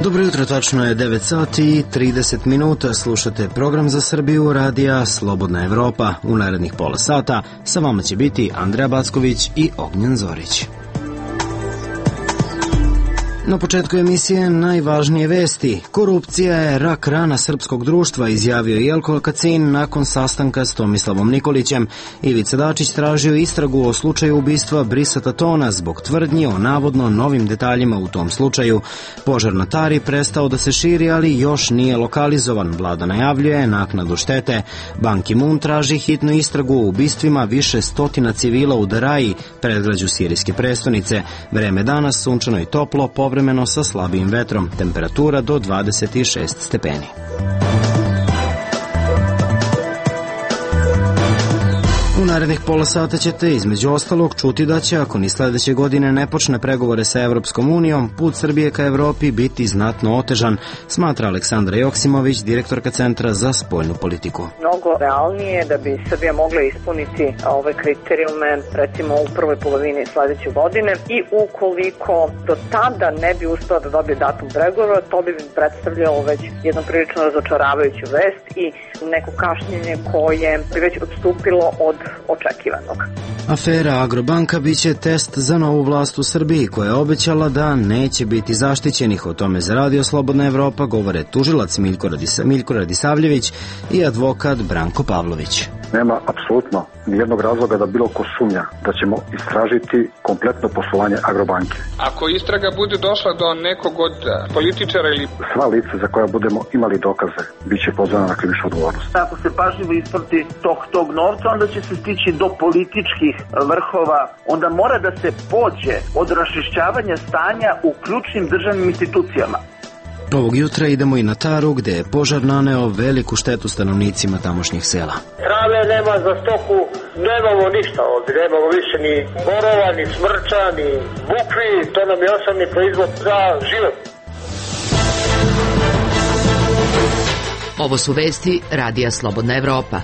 Dobro jutro, tačno je 9 sati i 30 minuta. Slušate program za Srbiju radija Slobodna Evropa. U narednih pola sata sa vama će biti Andreja Backović i Ognjen Zorić. Na početku emisije najvažnije vesti. Korupcija je rak rana srpskog društva, izjavio Jelko Kacin nakon sastanka s Tomislavom Nikolićem. Ivica Dačić tražio istragu o slučaju ubistva Brisa Tatona zbog tvrdnji o navodno novim detaljima u tom slučaju. Požar na Tari prestao da se širi, ali još nije lokalizovan. Vlada najavljuje naknadu štete. Ban Ki-moon traži hitnu istragu o ubistvima više stotina civila u Daraji, predgrađu sirijske prestonice. Vreme danas sunčano i toplo, povremeno sa slabijim vetrom, temperatura do 26 stepeni. U narednih pola sata ćete između ostalog čuti da će, ako ni sledeće godine ne počne pregovore sa Evropskom unijom, put Srbije ka Evropi biti znatno otežan, smatra Aleksandra Joksimović, direktorka Centra za spoljnu politiku. Mnogo realnije da bi Srbija mogla ispuniti ove kriterijume, recimo u prvoj polovini sledeće godine, i ukoliko do tada ne bi uspela da dobije datum pregovora, to bi predstavljalo već jednu prilično razočaravajuću vest i neko kašnjenje koje bi već odstupilo od očekivanog. Afera Agrobanka biće test za novu vlast u Srbiji, koja je obećala da neće biti zaštićenih. O tome za Radio Slobodna Evropa govore tužilac Miljko Radisavljević i advokat Branko Pavlović. Nema apsolutno nijednog razloga da bilo ko sumnja da ćemo istražiti kompletno poslovanje Agrobanke. Ako istraga bude došla do nekog od političara ili... Sva lica za koja budemo imali dokaze bit će pozvana na krivičnu odgovornost. Ako se pažljivo isprati tog novca, onda će se stići do političkih vrhova. Onda mora da se pođe od raščišćavanja stanja u ključnim državnim institucijama. Ovog jutra idemo i na Taru, gde je požar naneo veliku štetu stanovnicima tamošnjih sela. Hrane nema za stoku, nemamo ništa ovdje, nemamo više ni borova, ni smrča, ni bukvi, to nam je osnovni proizvod za život. Ovo su vesti Radija Slobodna Evropa.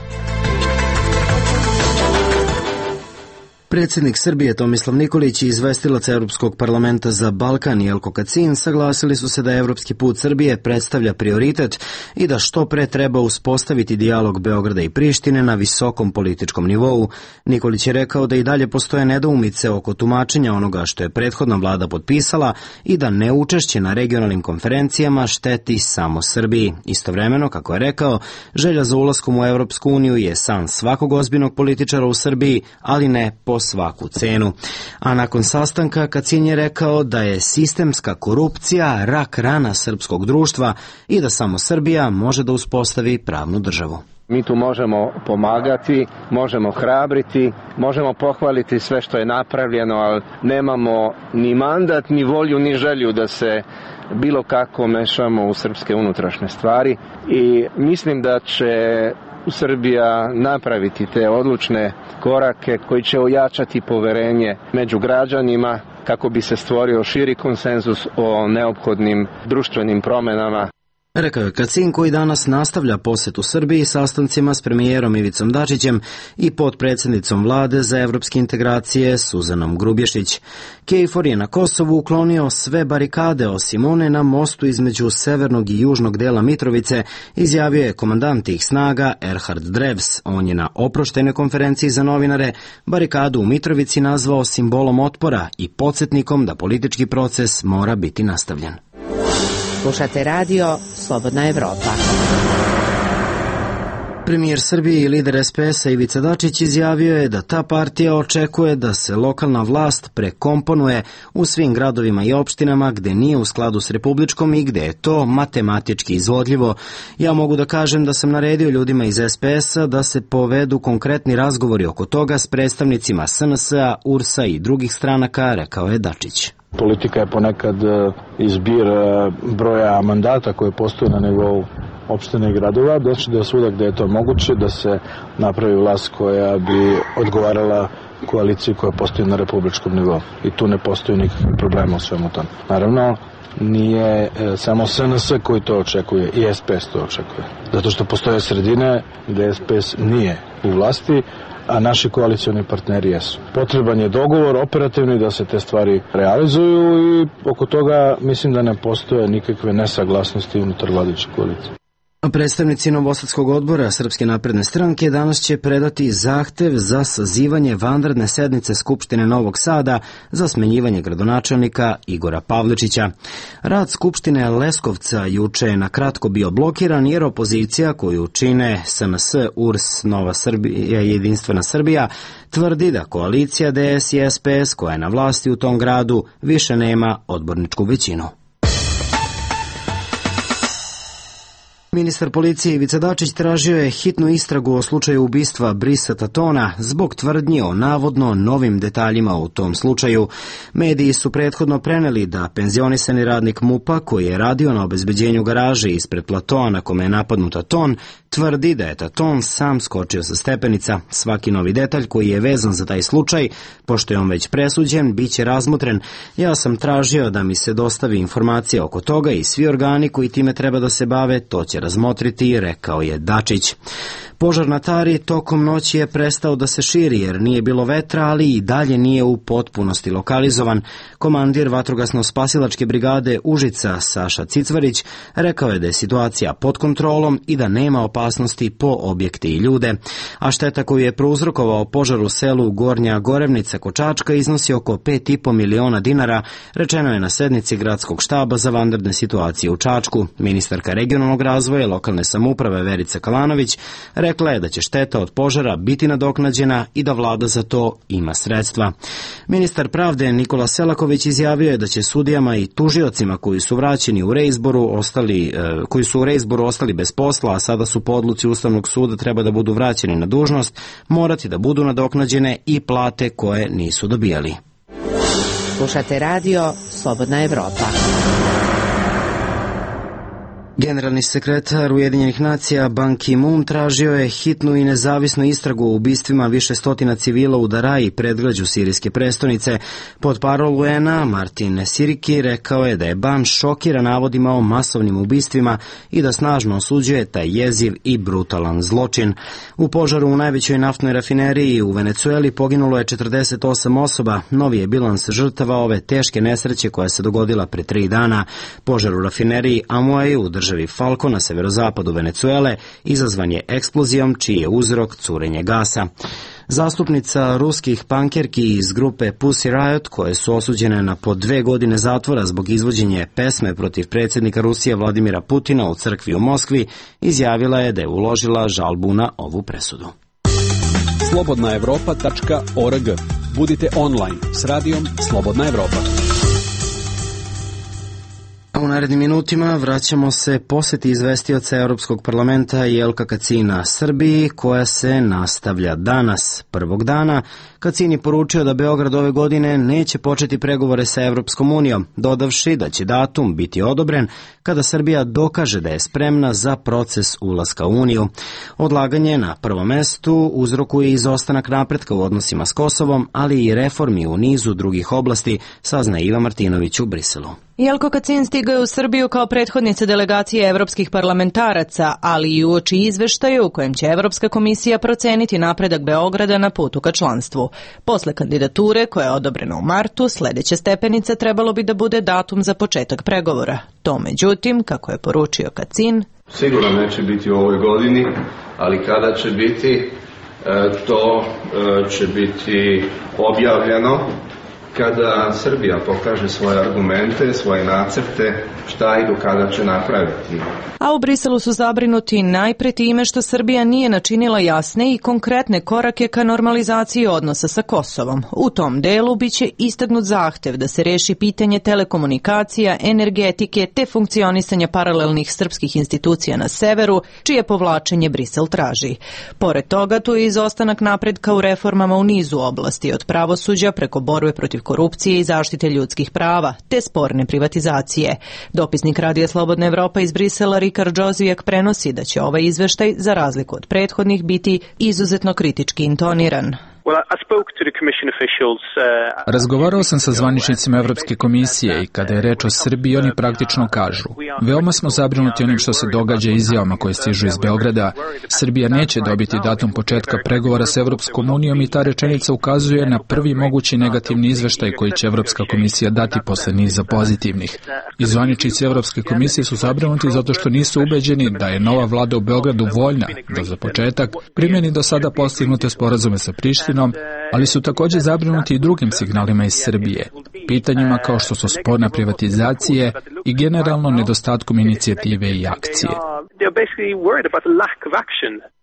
Predsjednik Srbije Tomislav Nikolić i izvestilac Evropskog parlamenta za Balkan Jelko Kacin saglasili su se da evropski put Srbije predstavlja prioritet i da što pre treba uspostaviti dijalog Beograda i Prištine na visokom političkom nivou. Nikolić je rekao da i dalje postoje nedoumice oko tumačenja onoga što je prethodna vlada potpisala i da neučešće na regionalnim konferencijama šteti samo Srbiji. Istovremeno, kako je rekao, želja za ulaskom u Evropsku uniju je san svakog ozbiljnog političara u Srbiji, ali ne po svaku cenu. A nakon sastanka Kacin je rekao da je sistemska korupcija rak rana srpskog društva i da samo Srbija može da uspostavi pravnu državu. Mi tu možemo pomagati, možemo hrabriti, možemo pohvaliti sve što je napravljeno, ali nemamo ni mandat, ni volju, ni želju da se bilo kako mešamo u srpske unutrašnje stvari i mislim da će Srbija napraviti te odlučne korake koji će ojačati poverenje među građanima kako bi se stvorio širi konsenzus o neophodnim društvenim promenama. Rekao je Kacin, koji danas nastavlja posetu Srbiji sastancima s premijerom Ivicom Dačićem i potpredsjednicom vlade za evropske integracije Suzanom Grubješić. KFOR je na Kosovu uklonio sve barikade osim one na mostu između severnog i južnog dela Mitrovice, izjavio je komandant tih snaga Erhard Drevs. On je na oproštenoj konferenciji za novinare barikadu u Mitrovici nazvao simbolom otpora i podsjetnikom da politički proces mora biti nastavljen. Slušate radio Slobodna Evropa. Premijer Srbije i lider SPS-a Ivica Dačić izjavio je da ta partija očekuje da se lokalna vlast prekomponuje u svim gradovima i opštinama gde nije u skladu s republičkom i gde je to matematički izvodljivo. Ja mogu da kažem da sam naredio ljudima iz SPS-a da se povedu konkretni razgovori oko toga s predstavnicima SNS-a, URS-a i drugih stranaka, rekao je Dačić. Politika je ponekad izbir broja mandata koje postoje na nivou opština i gradova, doći do svuda gde je to moguće da se napravi vlast koja bi odgovarala koaliciji koja postoji na republičkom nivou. I tu ne postoji nikakvih problema u svemu tom. Naravno, nije samo SNS koji to očekuje, i SPS to očekuje. Zato što postoje sredine gde SPS nije u vlasti, a naši koalicioni partneri jesu. Potreban je dogovor operativni da se te stvari realizuju i oko toga mislim da ne postoje nikakve nesaglasnosti unutar vladajuće koalicije. Predstavnici Novosadskog odbora Srpske napredne stranke danas će predati zahtev za sazivanje vanredne sednice Skupštine Novog Sada za smenjivanje gradonačelnika Igora Pavličića. Rad Skupštine Leskovca juče je na kratko bio blokiran jer opozicija koju čine SNS, URS, Nova Srbija i Jedinstvena Srbija tvrdi da koalicija DS i SPS koja je na vlasti u tom gradu više nema odborničku većinu. Ministar policije Ivica Dačić tražio je hitnu istragu o slučaju ubistva Brisa Tatona zbog tvrdnji o navodno novim detaljima u tom slučaju. Mediji su prethodno preneli da penzionisani radnik MUP-a koji je radio na obezbeđenju garaže ispred platoa na kome je napadnut Taton tvrdi da je Taton sam skočio sa stepenica. Svaki novi detalj koji je vezan za taj slučaj, pošto je on već presuđen, bit će razmotren. Ja sam tražio da mi se dostavi informacija oko toga i svi organi koji time treba da se bave to će razmotriti, rekao je Dačić. Požar na Tari tokom noći je prestao da se širi jer nije bilo vetra, ali i dalje nije u potpunosti lokalizovan. Komandir vatrogasno-spasilačke brigade Užica Saša Cicvarić rekao je da je situacija pod kontrolom i da nema opasnosti po objekte i ljude. A šteta koju je prouzrokovao požar u selu Gornja Gorevnica kod Čačka iznosi oko 5,5 miliona dinara, rečeno je na sednici gradskog štaba za vanredne situacije u Čačku. Ministarka regionalnog razvoja i lokalne samouprave Verica Kalanović rekla je da će šteta od požara biti nadoknađena i da vlada za to ima sredstva. Ministar pravde Nikola Selaković izjavio je da će sudijama i tužiocima koji su vraćeni u reizboru ostali bez posla, a sada su po odluci Ustavnog suda treba da budu vraćeni na dužnost, morati da budu nadoknađene i plate koje nisu dobijali. Slušate radio Slobodna Evropa. Generalni sekretar Ujedinjenih nacija Ban Ki-moon tražio je hitnu i nezavisnu istragu o ubistvima više stotina civila u Daraji, predgrađu sirijske prestonice. Portparol UN-a Martin Siriki rekao je da je Ban šokiran navodima o masovnim ubistvima i da snažno osuđuje taj jeziv i brutalan zločin. U požaru u najvećoj naftnoj rafineriji u Venecueli poginulo je 48 osoba. Novi je bilans žrtava ove teške nesreće koja se dogodila pre 3 dana. Požar u rafineriji Amuay u državi Falco na severozapadu Venecuele izazvan je eksplozijom čiji je uzrok curenje gasa. Zastupnica ruskih pankerki iz grupe Pussy Riot, koje su osuđene na po 2 godine zatvora zbog izvođenja pesme protiv predsjednika Rusije Vladimira Putina u crkvi u Moskvi, izjavila je da je uložila žalbu na ovu presudu. slobodnaevropa.org. Budite online s radijom Slobodna Evropa. U narednim minutima vraćamo se posjeti izvestioca Europskog parlamenta Jelka Kacina Srbiji, koja se nastavlja danas, prvog dana. Kacin je poručio da Beograd ove godine neće početi pregovore sa Evropskom unijom, dodavši da će datum biti odobren kada Srbija dokaže da je spremna za proces ulaska u Uniju. Odlaganje na prvom mestu uzrokuje izostanak napretka u odnosima s Kosovom, ali i reformi u nizu drugih oblasti, sazna Iva Martinović u Briselu. Jelko Kacin stigao je u Srbiju kao prethodnica delegacije evropskih parlamentaraca, ali i uoči izveštaja u kojem će Evropska komisija proceniti napredak Beograda na putu ka članstvu. Posle kandidature, koja je odobrena u martu, sledeća stepenica trebalo bi da bude datum za početak pregovora. To, međutim, kako je poručio Kacin, sigurno neće biti u ovoj godini, ali kada će biti, to će biti objavljeno kada Srbija pokaže svoje argumente, svoje nacrte, šta i do kada će napraviti. A u Briselu su zabrinuti najpre time što Srbija nije načinila jasne i konkretne korake ka normalizaciji odnosa sa Kosovom. U tom delu biće istaknut zahtev da se reši pitanje telekomunikacija, energetike te funkcionisanja paralelnih srpskih institucija na severu, čije povlačenje Brisel traži. Pored toga, tu je izostanak napretka u reformama u nizu oblasti, od pravosuđa preko borbe protiv protiv korupcije i zaštite ljudskih prava, te sporne privatizacije. Dopisnik Radija Slobodna Evropa iz Brisela Rikard Džozijek prenosi da će ovaj izveštaj, za razliku od prethodnih, biti izuzetno kritički intoniran. Razgovarao sam sa zvaničnicima Evropske komisije i kada je reč o Srbiji, oni praktično kažu: veoma smo zabrinuti onim što se događa izjavama koje stižu iz Beograda. Srbija neće dobiti datum početka pregovora s Evropskom unijom i ta rečenica ukazuje na prvi mogući negativni izveštaj koji će Evropska komisija dati posle niza pozitivnih. I zvaničnici Evropske komisije su zabrinuti zato što nisu ubeđeni da je nova vlada u Beogradu voljna da za početak primjeni do sada postignute sporazume sa Prištinom, ali su također zabrinuti i drugim signalima iz Srbije, pitanjima kao što su sporna privatizacije i generalno nedostatkom inicijative i akcije.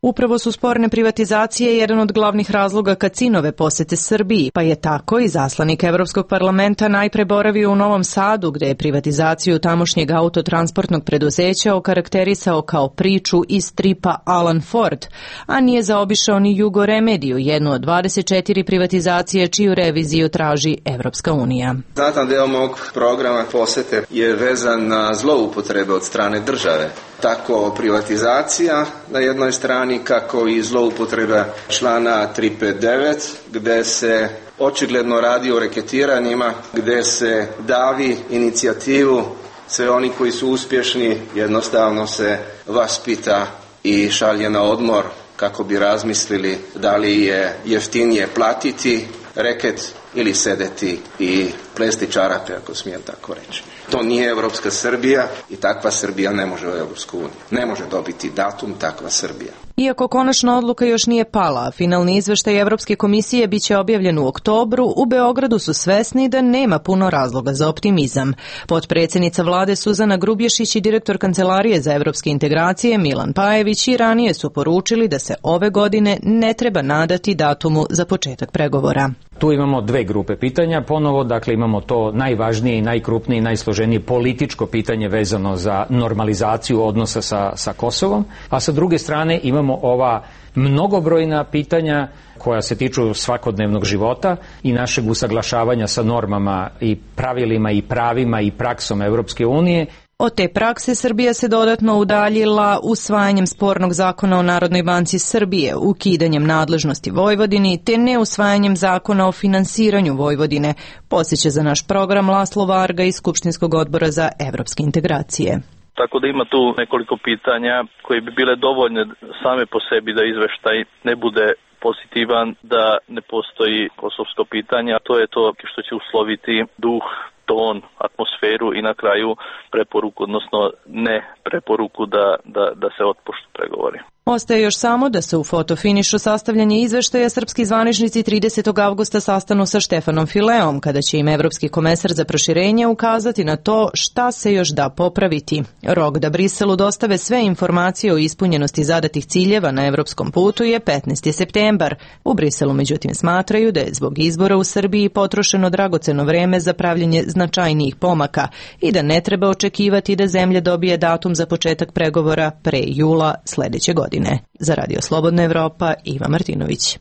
Upravo su sporne privatizacije jedan od glavnih razloga Kacinove posete Srbiji, pa je tako i zaslanik Evropskog parlamenta najpre boravio u Novom Sadu, gde je privatizaciju tamošnjeg autotransportnog preduzeća okarakterisao kao priču iz stripa Alan Ford, a nije zaobišao ni Jugo Remediju, jednu od 24 privatizacije čiju reviziju traži Evropska unija. Znatan deo mog programa posete je vezan na zloupotrebe od strane države. Tako privatizacija na jednoj strani, kako i zloupotreba člana 359, gde se očigledno radi o reketiranjima, gde se davi inicijativu, sve oni koji su uspješni jednostavno se vaspita i šalje na odmor kako bi razmislili da li je jeftinije platiti reket ili sedeti i plesti čarape, ako smijem tako reći. To nije Evropska Srbija i takva Srbija ne može u Evropsku uniju. Ne može dobiti datum takva Srbija. Iako konačna odluka još nije pala, finalni izveštaj Evropske komisije biće objavljen u oktobru, u Beogradu su svesni da nema puno razloga za optimizam. Potpredsjednica vlade Suzana Grubješić i direktor Kancelarije za evropske integracije Milan Pajević i ranije su poručili da se ove godine ne treba nadati datumu za početak pregovora. Tu imamo dve grupe pitanja. Ponovo, dakle, imamo to najvažnije i najkrupnije i najsloženije političko pitanje vezano za normalizaciju odnosa sa Kosovom, a sa druge strane imamo ova mnogobrojna pitanja koja se tiču svakodnevnog života i našeg usaglašavanja sa normama i pravilima i pravima i praksom Evropske unije. Od te prakse Srbija se dodatno udaljila usvajanjem spornog zakona o Narodnoj banci Srbije, ukidanjem nadležnosti Vojvodini te neusvajanjem zakona o finansiranju Vojvodine, podsjeća za naš program Laslo Varga iz Skupštinskog odbora za evropske integracije. Tako da ima tu nekoliko pitanja koje bi bile dovoljne same po sebi da izveštaj ne bude pozitivan, da ne postoji kosovsko pitanje, a to je to što će usloviti duh, ton, atmosferu i na kraju preporuku, odnosno ne preporuku da se otpoštu pregovori. Ostaje još samo da se u fotofinišu sastavljanje izveštaja srpski zvaničnici 30. avgusta sastanu sa Štefanom Fileom, kada će im Evropski komesar za proširenje ukazati na to šta se još da popraviti. Rok da Briselu dostave sve informacije o ispunjenosti zadatih ciljeva na evropskom putu je 15. septembar. U Briselu međutim smatraju da je zbog izbora u Srbiji potrošeno dragoceno vreme za pravljenje značajnijih pomaka i da ne treba očekivati da zemlja dobije datum za početak pregovora pre jula sledeće godine. Za Radio Slobodna Evropa, Iva Martinović.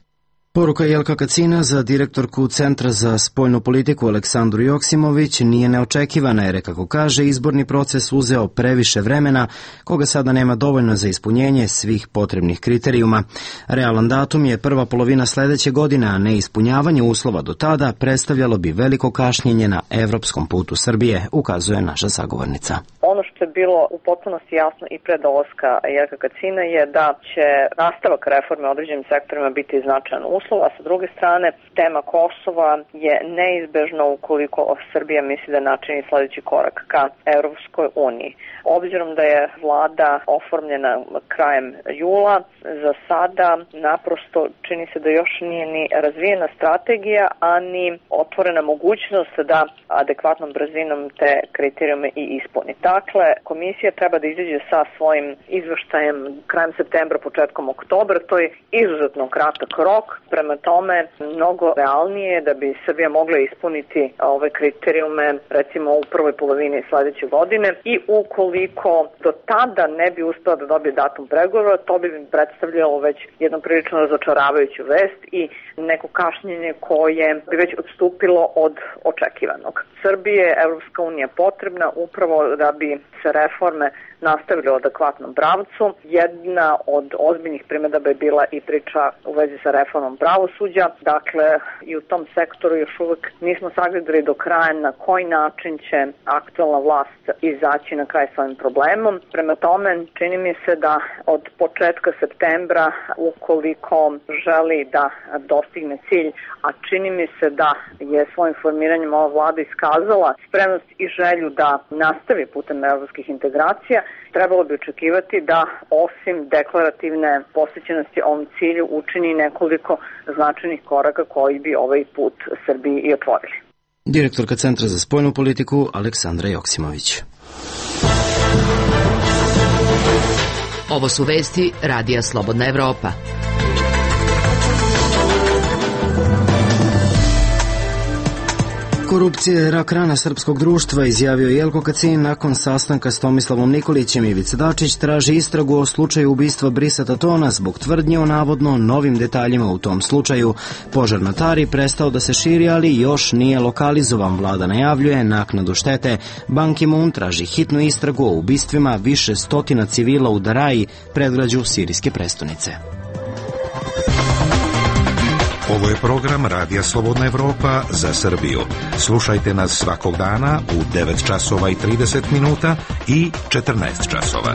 Poruka Jelka Kacina za direktorku Centra za spoljnu politiku Aleksandru Joksimović nije neočekivana jer je, kako kaže, izborni proces uzeo previše vremena, koga sada nema dovoljno za ispunjenje svih potrebnih kriterijuma. Realan datum je prva polovina sledeće godine, a neispunjavanje uslova do tada predstavljalo bi veliko kašnjenje na evropskom putu Srbije, ukazuje naša sagovornica. Ono što je bilo u potpunosti jasno i pre dolaska Jelka Kacina je da će nastavak reforme u određenim sektorima biti značajan uslov, a sa druge strane tema Kosova je neizbežna ukoliko Srbija misli da načini sledeći korak ka Evropskoj uniji. Obzirom da je vlada oformljena krajem jula, za sada naprosto čini se da još nije ni razvijena strategija, a ni otvorena mogućnost da adekvatnom brzinom te kriterijume i ispuni. Dakle, Dakle, komisija treba da izađe sa svojim izveštajem krajem septembra, početkom oktobra. To je izuzetno kratak rok. Prema tome, mnogo realnije je da bi Srbija mogla ispuniti ove kriterijume recimo u prvoj polovini sledeće godine i ukoliko do tada ne bi uspela da dobije datum pregovora, to bi predstavljalo već jednu prilično razočaravajuću vest i neko kašnjenje koje bi već odstupilo od očekivanog. Srbije je Evropska unija potrebna upravo da bi se reforme nastavili u adekvatnom pravcu. Jedna od ozbiljnih primedaba je bila i priča u vezi sa reformom pravosuđa. Dakle, i u tom sektoru još uvek nismo sagledali do kraja na koji način će aktualna vlast izaći na kraj s ovim problemom. Prema tome, čini mi se da od početka septembra, ukoliko želi da dostigne cilj, a čini mi se da je svojim formiranjem ova vlada iskazala spremnost i želju da nastavi putem evropskih integracija, trebalo bi očekivati da osim deklarativne posvećenosti ovom cilju učini nekoliko značajnih koraka koji bi ovaj put Srbiji i otvorili. Direktorka Centra za spoljnu politiku Aleksandra Joksimović. Ovo su vesti Radija Slobodna Evropa. Korupcija je rak rana srpskog društva, izjavio Jelko Kacin nakon sastanka s Tomislavom Nikolićem. Ivica Dačić traži istragu o slučaju ubistva Brisata Tona zbog tvrdnje o navodno novim detaljima u tom slučaju. Požar na Tari prestao da se širi, ali još nije lokalizovan. Vlada najavljuje naknadu štete. Ban Ki-moon traži hitnu istragu o ubistvima više stotina civila u Daraji, predgrađu sirijske prestonice. Ovo je program Radija Slobodna Evropa za Srbiju. Slušajte nas svakog dana u 9 časova i 30 minuta i 14 časova.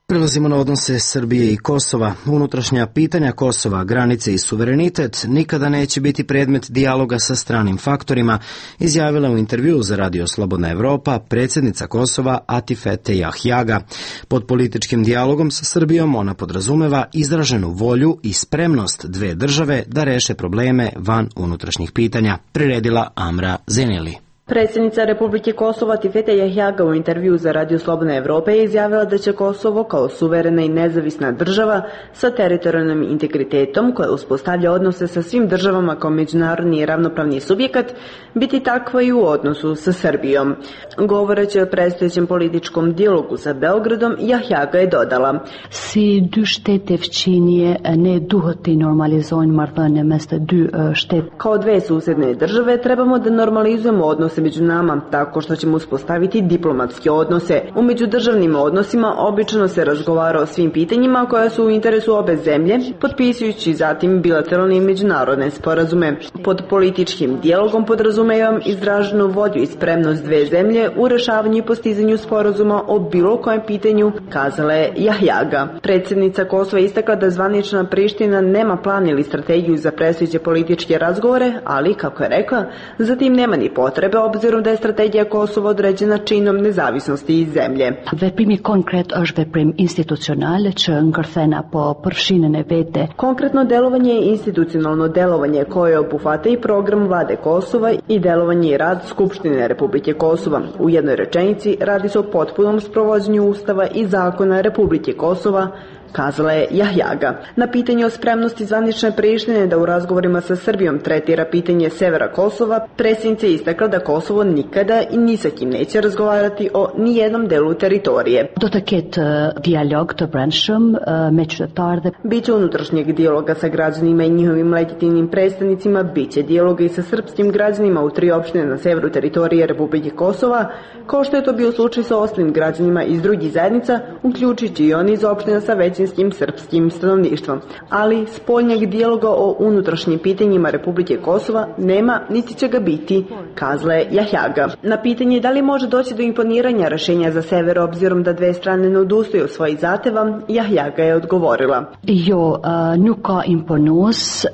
Prelazimo na odnose Srbije i Kosova. Unutrašnja pitanja Kosova, granice i suverenitet nikada neće biti predmet dijaloga sa stranim faktorima, izjavila u intervjuu za Radio Slobodna Evropa predsjednica Kosova Atifete Jahjaga. Pod političkim dijalogom sa Srbijom ona podrazumeva izraženu volju i spremnost dve države da reše probleme van unutrašnjih pitanja, priredila Amra Zeneli. Predsjednica Republike Kosova Atifete Jahjaga u intervju za Radio Slobodna Evropa je izjavila da će Kosovo kao suverena i nezavisna država sa teritorijalnim integritetom koja uspostavlja odnose sa svim državama kao međunarodni i ravnopravni subjekat biti takva i u odnosu sa Srbijom. Govoreći o predstojećem političkom dijalogu sa Beogradom, Jahjaga je dodala: Si dy shtete fqinje ne duhet i normalizojnë marrëdhënie mes të dy shtet. Kao dve susjedne države trebamo da normalizujemo odnose među nama tako što ćemo uspostaviti diplomatske odnose. U međudržavnim odnosima obično se razgovara o svim pitanjima koja su u interesu obe zemlje, potpisujući zatim bilateralne i međunarodne sporazume. Pod političkim dijalogom podrazumevam izraženu volju i spremnost dve zemlje u rešavanju i postizanju sporazuma o bilo kojem pitanju, kazala je Jahjaga. Predsjednica Kosova istakla da zvanična Priština nema plan ili strategiju za predstojeće političke razgovore, ali, kako je rekla, zatim nema ni potrebe obzirom da je strategija Kosova određena činom nezavisnosti iz zemlje. Veprimi konkret është veprim institucionale që ngërthena po përfshinën e vete. Konkretno delovanje je institucionalno delovanje koje obuhvata i program vlade Kosova i delovanje i rad Skupštine Republike Kosova. U jednoj rečenici radi se o potpunom sprovođenju Ustava i zakona Republike Kosova, kazala je Jahjaga. Na pitanje o spremnosti zvanične Prištine da u razgovorima sa Srbijom tretira pitanje severa Kosova, predsjednica je istakla da Kosovo nikada i ni sa kim neće razgovarati o nijednom delu teritorije. Do të ketë dijalog të brendshëm me qytetarët. Biće unutrašnjeg dijaloga sa građanima i njihovim legitimnim predstavnicima, biće dijaloga i sa srpskim građanima u 3 opštine na severu teritorije Republike Kosova, kao što je to bio slučaj sa ostalim građanima iz drugih zajednica, uključujući i oni iz opština sa većinskim srpskim stanovništvom. Ali spoljnjeg dijaloga o unutrašnjim pitanjima Republike Kosova nema niti će ga biti, kazala je Jahjaga. Na pitanje da li može doći do imponiranja rešenja za sever obzirom da dve strane ne odustaju od svojih zahteva, Jahjaga je odgovorila: Jo, nuk ka imponues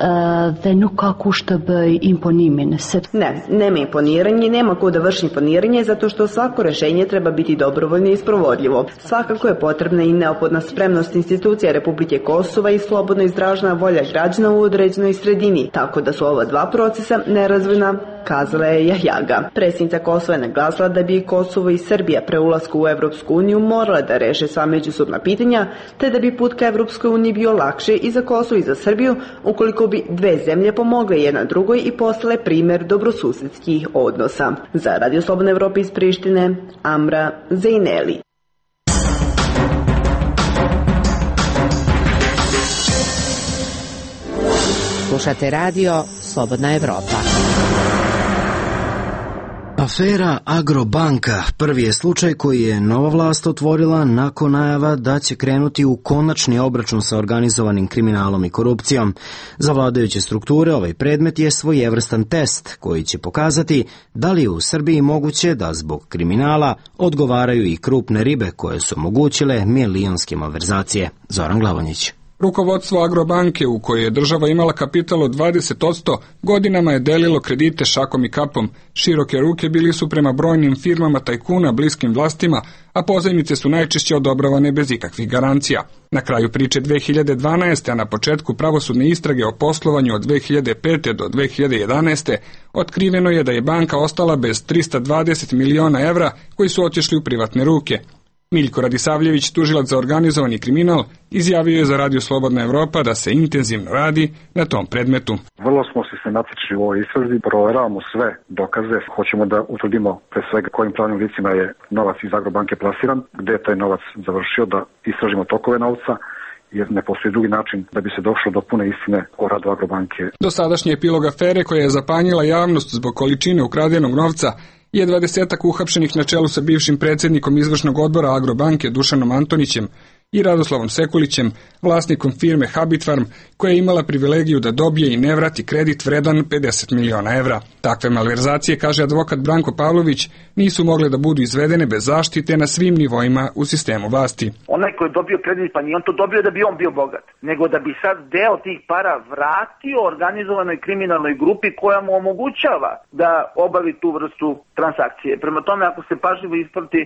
dhe nuk ka kush të bëj imponimin. Ne, nema imponiranje i nema ko da vrši imponiranje zato što svako rešenje treba biti dobrovoljno i sprovodljivo. Svakako je potrebna i neophodna spremnost institucija institucija Republike Kosova i slobodno izražena volja građana u određenoj sredini, tako da su ova dva procesa nerazvojna, kazala je Jahjaga. Predsjednica Kosova je naglasila da bi Kosovo i Srbija pre ulaska u Evropsku uniju morala da reše sva međusobna pitanja, te da bi put ka Evropskoj uniji bio lakše i za Kosovo i za Srbiju ukoliko bi dve zemlje pomogle jedna drugoj i postale primer dobrosusedskih odnosa. Za Radio Slobodna Evropa iz Prištine, Amra Zejneli. Slušate radio Slobodna Evropa. Afera Agrobanka prvi je slučaj koji je nova vlast otvorila nakon najava da će krenuti u konačni obračun sa organizovanim kriminalom i korupcijom. Za vladajuće strukture ovaj predmet je svojevrstan test koji će pokazati da li je u Srbiji moguće da zbog kriminala odgovaraju i krupne ribe koje su omogućile milionske malverzacije. Zoran Glavonjić. Rukovodstvo Agrobanke, u kojoj je država imala kapital od 20%, godinama je delilo kredite šakom i kapom. Široke ruke bili su prema brojnim firmama tajkuna bliskim vlastima, a pozajmice su najčešće odobravane bez ikakvih garancija. Na kraju priče 2012. a na početku pravosudne istrage o poslovanju od 2005. do 2011. otkriveno je da je banka ostala bez 320 miliona evra koji su otišli u privatne ruke. Miljko Radisavljević, tužilac za organizovani kriminal, izjavio je za Radio Slobodna Evropa da se intenzivno radi na tom predmetu. Vrlo smo sistematični u ovoj istrazi, proveravamo sve dokaze, hoćemo da utvrdimo pre svega kojim pravnim licima je novac iz Agrobanke plasiran, gde je taj novac završio, da istražimo tokove novca, jer ne postoji drugi način da bi se došlo do pune istine o radu Agrobanke. Dosadašnji epilog afere koja je zapanjila javnost zbog količine ukradenog novca je 20-ak uhapšenih na čelu sa bivšim predsjednikom izvršnog odbora Agrobanke Dušanom Antonićem i Radoslavom Sekulićem, vlasnikom firme Habit Farm, koja je imala privilegiju da dobije i ne vrati kredit vredan 50 miliona evra. Takve malverzacije, kaže advokat Branko Pavlović, nisu mogle da budu izvedene bez zaštite na svim nivoima u sistemu vlasti. Onaj koji je dobio kredit, pa nije on to dobio da bi on bio bogat, nego da bi sad deo tih para vratio organizovanoj kriminalnoj grupi koja mu omogućava da obavi tu vrstu transakcije. Prema tome, ako se pažljivo isprati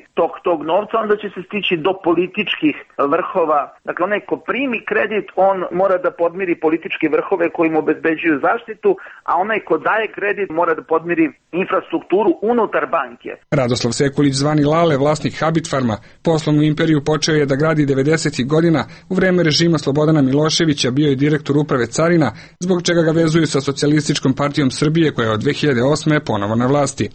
tog novca, onda će se stići do političkih vrhova. Dakle, onaj ko primi kredit, on mora da podmiri političke vrhove koji mu obezbeđuju zaštitu, a onaj ko daje kredit mora da podmiri infrastrukturu unutar banke. Radoslav Sekulić, zvani Lale, vlasnik Habit Farma, poslovnu imperiju počeo je da gradi 90. godina. U vreme režima Slobodana Miloševića bio je direktor uprave carina, zbog čega ga vezuju sa Socijalističkom partijom Srbije koja je od 2008. ponovo na vlasti.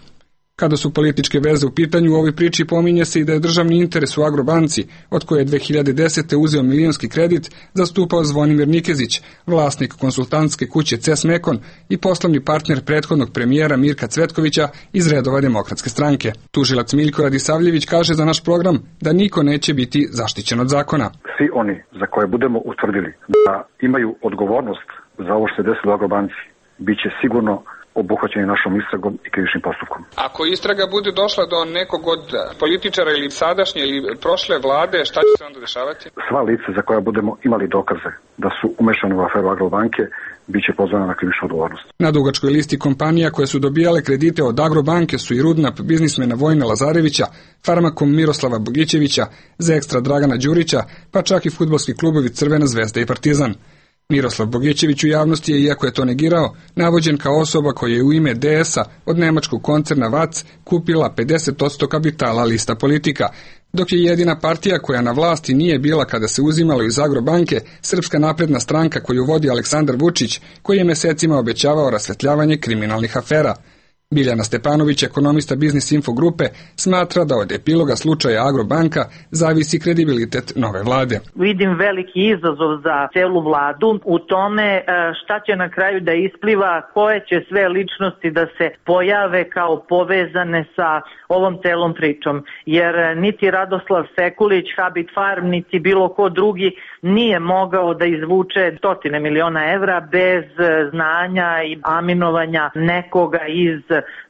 Kada su političke veze u pitanju, u ovoj priči pominje se i da je državni interes u Agrobanci, od koje je 2010. uzeo milionski kredit, zastupao Zvonimir Nikezić, vlasnik konsultantske kuće CES Mekon i poslovni partner prethodnog premijera Mirka Cvetkovića iz redova Demokratske stranke. Tužilac Miljko Radisavljević kaže za naš program da niko neće biti zaštićen od zakona. Svi oni za koje budemo utvrdili da imaju odgovornost za ovo što se desilo u Agrobanci, bit će sigurno obuhvaćeni našom istragom i krivičnim postupkom. Ako istraga bude došla do nekog od političara ili sadašnje ili prošle vlade, šta će se onda dešavati? Sva lica za koja budemo imali dokaze da su umešani u aferu Agrobanke, bit će pozvana na krivičnu odgovornost. Na dugačkoj listi kompanija koje su dobijale kredite od Agrobanke su i Rudnap biznismena Vojna Lazarevića, Farmakom Miroslava Bogićevića, Zekstra Dragana Đurića, pa čak i fudbalski klubovi Crvena Zvezda i Partizan. Miroslav Bogićević u javnosti je, iako je to negirao, navođen kao osoba koja je u ime DS-a od nemačkog koncerna VAC kupila 50% kapitala Lista Politika, dok je jedina partija koja na vlasti nije bila kada se uzimalo iz Agrobanke Srpska napredna stranka koju vodi Aleksandar Vučić, koji je mesecima obećavao rasvetljavanje kriminalnih afera. Biljana Stepanović, ekonomista Biznis Info grupe, smatra da od epiloga slučaja Agrobanka zavisi kredibilitet nove vlade. Vidim veliki izazov za celu vladu u tome šta će na kraju da ispliva, koje će sve ličnosti da se pojave kao povezane sa ovom celom pričom. Jer niti Radoslav Sekulić, Habit Farm, niti bilo ko drugi nije mogao da izvuče 100 miliona evra bez znanja i aminovanja nekoga iz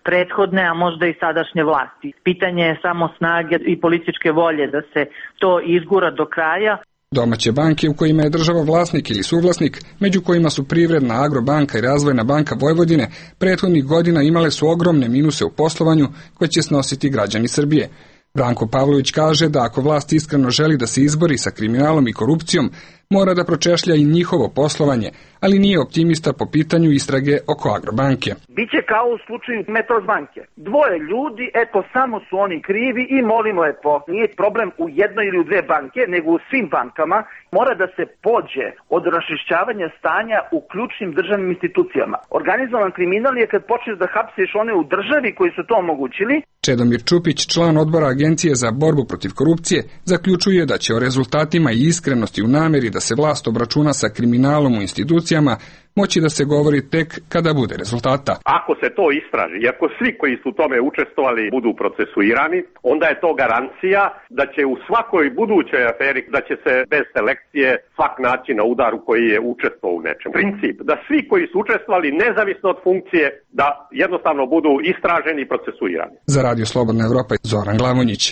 prethodne, a možda i sadašnje vlasti. Pitanje je samo snage i političke volje da se to izgura do kraja. Domaće banke u kojima je država vlasnik ili suvlasnik, među kojima su Privredna, Agrobanka i Razvojna banka Vojvodine, prethodnih godina imale su ogromne minuse u poslovanju koje će snositi građani Srbije. Branko Pavlović kaže da ako vlast iskreno želi da se izbori sa kriminalom i korupcijom, mora da pročešlja i njihovo poslovanje, ali nije optimista po pitanju istrage oko Agrobanke. Biće kao u slučaju Metrosbanke. Dvoje ljudi, eto samo su oni krivi i molimo lepo. Nije problem u jednoj ili u dve banke, nego u svim bankama. Mora da se pođe od raščišćavanja stanja u ključnim državnim institucijama. Organizovan kriminal je kad počneš da hapsiš one u državi koji su to omogućili. Čedomir Čupić, član odbora Agencije za borbu protiv korupcije, zaključuje da će o rezultatima i iskrenosti u nameri da se vlast obračuna sa kriminalom u institucijama moći da se govori tek kada bude rezultata. Ako se to istraži i ako svi koji su u tome učestvovali budu procesuirani, onda je to garancija da će u svakoj budućoj aferi, da će se bez selekcije svak naći na udaru koji je učestvovao u nečem. Princip da svi koji su učestvovali nezavisno od funkcije, da jednostavno budu istraženi i procesuirani. Za Radio Slobodna Evropa, Zoran Glavonjić.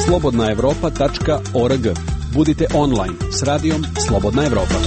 slobodnaevropa.org. Budite online s radijom Slobodna Evropa.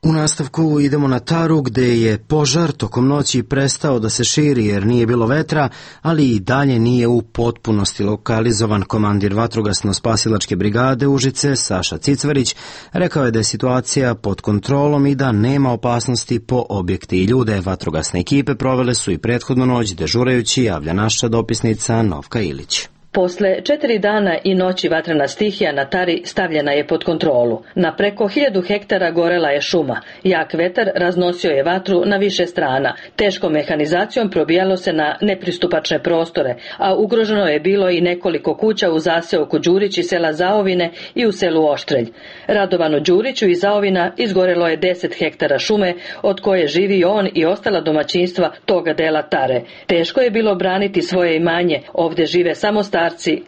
U nastavku idemo na Taru gde je požar tokom noći prestao da se širi jer nije bilo vetra, ali i dalje nije u potpunosti lokalizovan. Komandir vatrogasno-spasilačke brigade Užice Saša Cicvarić rekao je da je situacija pod kontrolom i da nema opasnosti po objekte i ljude. Vatrogasne ekipe provele su i prethodnu noć dežurajući, javlja naša dopisnica Novka Ilić. Posle 4 dana i noći vatrena stihija na Tari stavljena je pod kontrolu. Na preko 1000 hektara gorela je šuma. Jak vetar raznosio je vatru na više strana. Teškom mehanizacijom probijalo se na nepristupačne prostore, a ugroženo je bilo i nekoliko kuća u zaseoku Đurić i sela Zaovine i u selu Oštrelj. Radovanu Đuriću iz Zaovina izgorelo je 10 hektara šume, od koje živi on i ostala domaćinstva toga dela Tare. Teško je bilo braniti svoje imanje, ovdje žive samo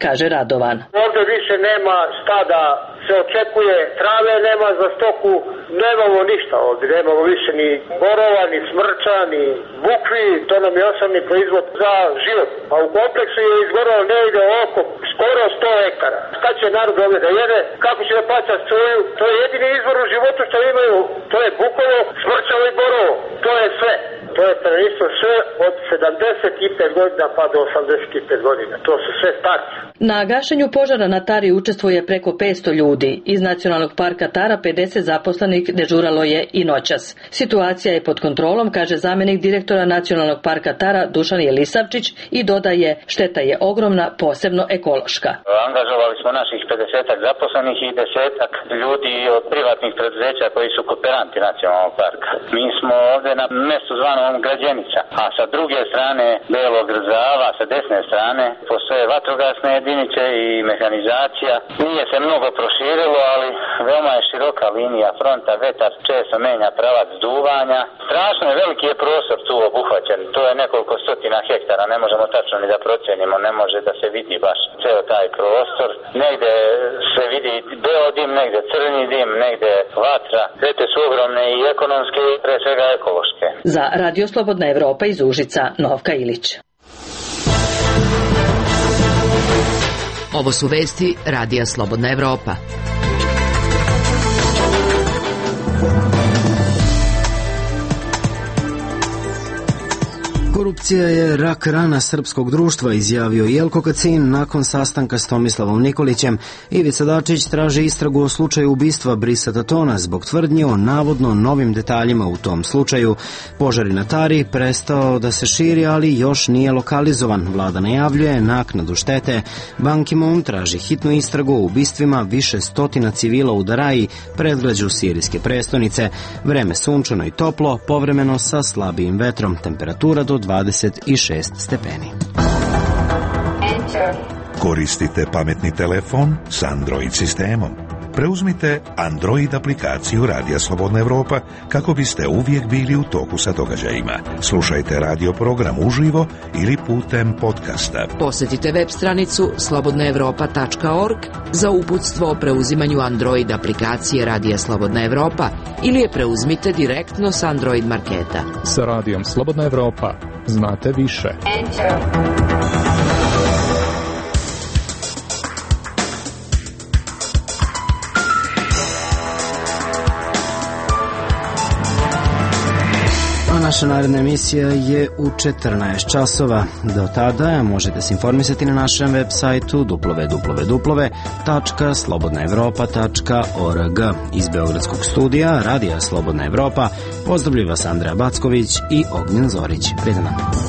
kaže Radovan. Ovdje više nema šta da se očekuje, trave nema za stoku, nemamo ništa ovdje, nemamo više ni borova, ni smrča, ni bukvi, to nam je osnovni proizvod za život. A u kompleksu je izgoralo negdje oko skoro 100 hektara. Šta će narod ovdje da jede, kako će da plaća struju, to je jedini izvor u životu što imaju, to je bukovo, smrčavo i borovo, to je sve. To je stanovništvo sve od 75 godina pa do 85 godina. To su sve starci. Na gašenju požara na Tari učestvuje preko 500 ljudi. Iz Nacionalnog parka Tara 50 zaposlenih dežuralo je i noćas. Situacija je pod kontrolom, kaže zamjenik direktora Nacionalnog parka Tara Dušan Jelisavčić i dodaje, šteta je ogromna, posebno ekološka. Angažovali smo naših 50 zaposlenih i 10 ljudi od privatnih preduzeća koji su kooperanti Nacionalnog parka. Mi smo ovdje na mjestu zvanom Građenica, a sa druge strane Belog Zava, sa desne strane postoje vatrogasne jedinice i mehanizacija. Nije se mnogo proširilo, ali veoma je široka linija fronta, vetar često menja pravac duvanja. Strašno je veliki je prostor tu obuhvaćen, to je nekoliko stotina hektara, ne možemo tačno ni da procenimo, ne može da se vidi baš ceo taj prostor. Negde se vidi beo dim, negde crni dim, negde vatra. Štete su ogromne i ekonomske i pre svega ekološke. Za Radio Slobodna Evropa iz Užica, Novka Ilić. Ovo su vesti Radija Slobodna Evropa. Korupcija je rak rana srpskog društva, izjavio Jelko Kacin nakon sastanka s Tomislavom Nikolićem. Ivica Dačić traži istragu o slučaju ubistva Brisa Tatona zbog tvrdnji o navodno novim detaljima u tom slučaju. Požar na Tari prestao da se širi, ali još nije lokalizovan. Vlada najavljuje naknadu štete. Ban Ki-moon traži hitnu istragu o ubistvima više stotina civila u Daraji, predgrađu sirijske prestonice. Vreme sunčano i toplo, povremeno sa slabijim vetrom. Temperatura do 26 stepeni. Koristite pametni telefon s Android sistemom. Preuzmite Android aplikaciju Radija Slobodna Evropa kako biste uvijek bili u toku sa događajima. Slušajte radio program uživo ili putem podcasta. Posjetite web stranicu slobodnaevropa.org za uputstvo o preuzimanju Android aplikacije Radija Slobodna Evropa ili je preuzmite direktno s Android marketa. Sa Radijom Slobodna Evropa znate više. naša naredna emisija je u 14 časova. Do tada možete se informisati na našem web sajtu www.slobodnaevropa.org. Iz Beogradskog studija Radija Slobodna Evropa pozdravlja vas Andreja Backović i Ognjen Zorić. Prijatno.